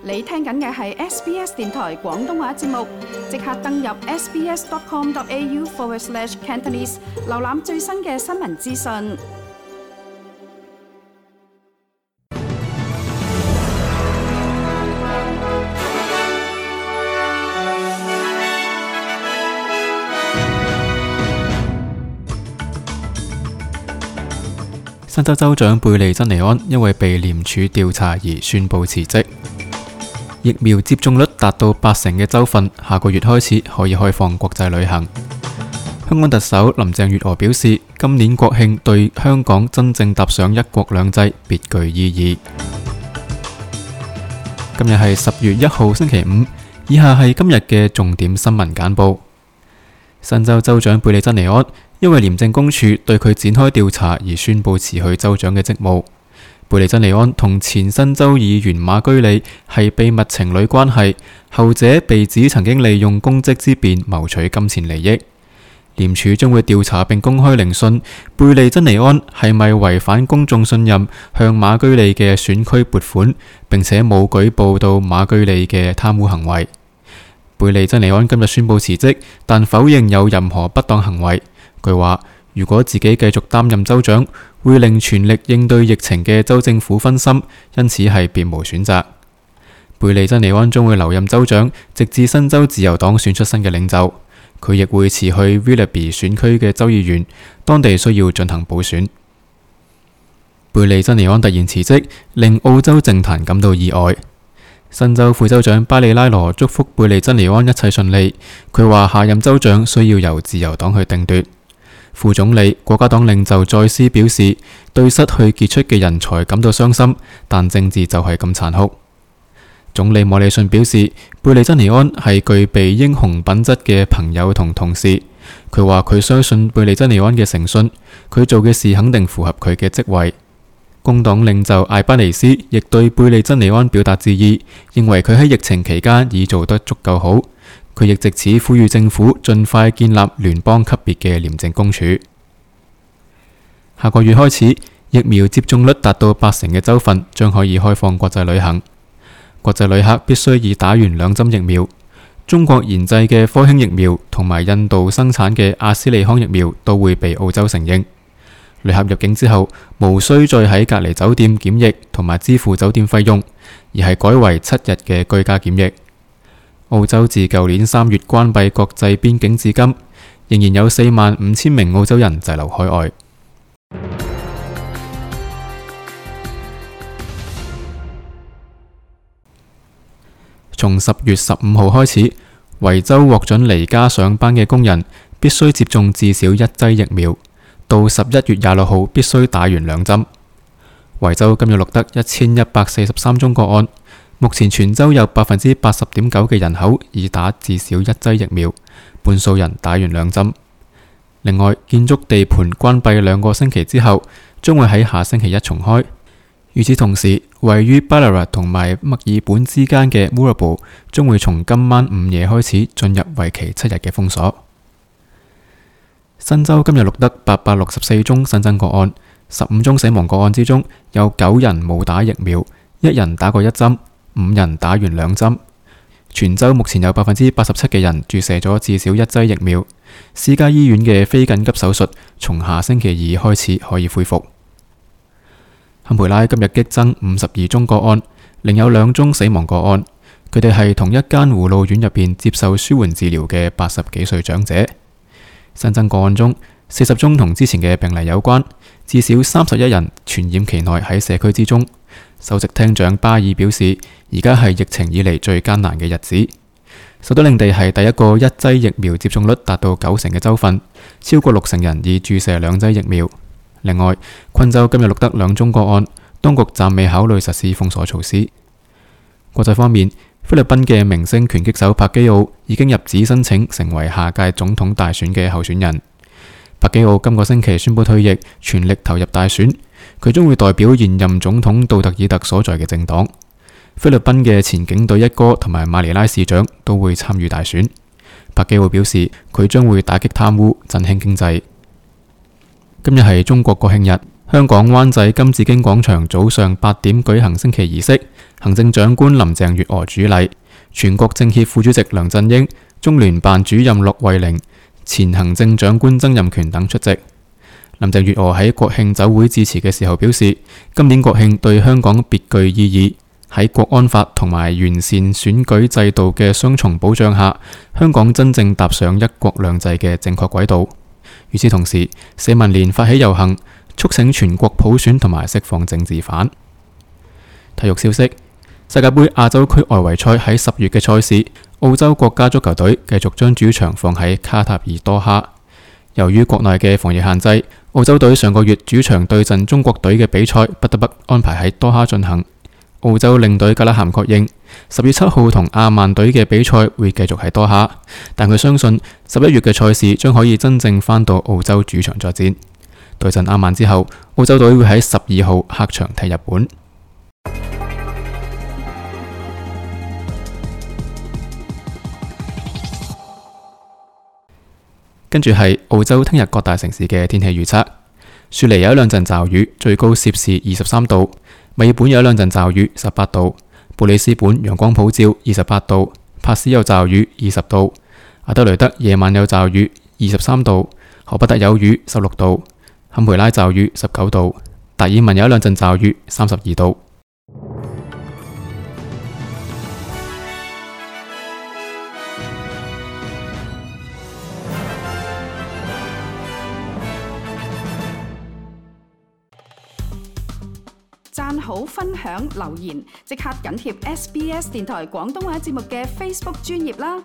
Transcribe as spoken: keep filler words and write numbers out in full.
你聽緊嘅係 S B S 電台廣東話節目，即刻登入 sbs.com.au forward slash Cantonese， 瀏覽最新嘅新聞資訊。新州州長貝利珍尼安因為被廉署調查而宣布辭職。疫苗接種率達到八成嘅州份，下個月開始可以開放國際旅行。香港特首林鄭月娥表示，今年國慶對香港真正踏上一國兩制別具意義。今日係十月一號星期五，以下係今日嘅重點新聞簡報。新州州長貝利珍尼安因為廉政公署對佢展開調查而宣布辭去州長嘅職務。貝利珍尼安同前新州議員馬居里係秘密情侶關係，後者被指曾經利用公職之便謀取金錢利益。廉署將會調查並公開聆訊貝利珍尼安係咪違反公眾信任向馬居里嘅選區撥款，並且冇舉報到馬居里嘅貪污行為。貝利珍尼安今日宣布辭職，但否認有任何不當行為。佢話如果自己繼續擔任州長，會令全力應對疫情嘅州政府分心，因此係別無選擇。貝利珍尼安將會留任州長，直至新州自由黨選出新嘅領袖。佢亦會辭去 Willoughby 選區嘅州議員，當地需要進行補選。貝利珍尼安突然辭職，令澳洲政壇感到意外。新州副州長巴里拉羅祝福貝利珍尼安一切順利。佢話下任州長需要由自由黨去定奪。副總理、國家黨領袖再斯表示，對失去傑出嘅人才感到傷心，但政治就係咁殘酷。總理莫里遜表示，貝利珍尼安係具備英雄品質嘅朋友同同事。佢話佢相信貝利珍尼安嘅誠信，佢做嘅事肯定符合佢嘅職位。工黨領袖艾巴尼斯亦對貝利珍尼安表達致意，認為佢喺疫情期間已做得足夠好。佢亦藉此呼籲政府盡快建立聯邦級別嘅廉政公署。下個月開始，疫苗接種率達到八成嘅州份將可以開放國際旅行。國際旅客必須已打完兩針疫苗。中國研製嘅科興疫苗同埋印度生產嘅阿斯利康疫苗都會被澳洲承認。旅客入境之後，無需再喺隔離酒店檢疫同埋支付酒店費用，而係改為七日嘅居家檢疫。澳洲自舊年三月關閉國際邊境至今，仍然有四萬五千名澳洲人滯留海外。從十月十五號開始，維州獲准離家上班嘅工人必須接種至少一劑疫苗，到十一月廿六號必須打完兩針。維州今日錄得一千一百四十三宗個案。目前全州有百分之八十點九嘅人口已打至少一劑疫苗，半數人打完兩針。另外，建築地盤關閉兩個星期之後，將會喺下星期一重開。與此同時，位於 Ballarat 同埋墨爾本之間嘅 Moorabool 將會從今晚午夜開始進入為期七日嘅封鎖。新州今日錄得八百六十四宗新增個案，十五宗死亡個案之中有九人冇打疫苗，一人打過一針。五人打完兩針，全州目前有百分之八十七嘅人注射咗至少一劑疫苗。私家醫院嘅非緊急手術從下星期二開始可以恢復。坎培拉今日激增五十二宗個案，另有兩宗死亡個案，佢哋係同一間護老院入邊接受舒緩治療嘅八十幾歲長者。新增個案中，四十宗同之前嘅病例有關，至少三十一人傳染期內喺社區之中。首席廳長巴爾表示，而家係疫情以嚟最艱難嘅日子。首都領地係第一個一劑疫苗接種率達到九成嘅州份，超過六成人已注射兩劑疫苗。另外，昆州今日錄得兩宗個案，當局暫未考慮實施封鎖措施。國際方面，菲律賓嘅明星拳擊手柏基奧已經入紙申請成為下屆總統大選嘅候選人。柏基奧今個星期宣布退役，全力投入大選。佢將會代表現任總統杜特爾特所在嘅政黨。菲律賓嘅前警隊一哥同埋馬尼拉市長都會參與大選。柏基奧表示，佢將會打擊貪污，振興經濟。今日係中國國慶日，香港灣仔金紫荊廣場早上八點舉行升旗儀式，行政長官林鄭月娥主禮，全國政協副主席梁振英、中聯辦主任駱惠寧、前行政長官曾蔭權等出席。林鄭月娥喺國慶酒會致辭嘅時候表示，今年國慶對香港別具意義，喺國安法同埋完善選舉制度嘅雙重保障下，香港真正踏上一國兩制嘅正確軌道。與此同時，社民連發起遊行，促請全國普選同埋釋放政治犯。體育消息：世界盃亞洲區外圍賽喺十月嘅賽事，澳洲國家足球隊繼續將主場放喺卡塔爾多哈。由於國內嘅防疫限制，澳洲隊上個月主場對陣中國隊嘅比賽不得不安排喺多哈進行。澳洲領隊格拉咸確認，十月七號同阿曼隊嘅比賽會繼續喺多哈，但佢相信十一月嘅賽事將可以真正返到澳洲主場作戰。對陣阿曼之後，澳洲隊會喺十二號客場踢日本。跟住係澳洲聽日各大城市嘅天氣預測：雪梨有一兩陣驟雨，最高攝氏二十三度；墨爾本有一兩陣驟雨，十八度；布里斯本陽光普照，二十八度；帕斯有驟雨，二十度；阿德雷德夜晚有驟雨，二十三度；荷伯特有雨，十六度；坎培拉驟雨，十九度；達爾文有一兩陣驟雨，三十二度。讚好、分享、留言，即刻緊貼 S B S 電台廣東話節目嘅 Facebook 專頁啦！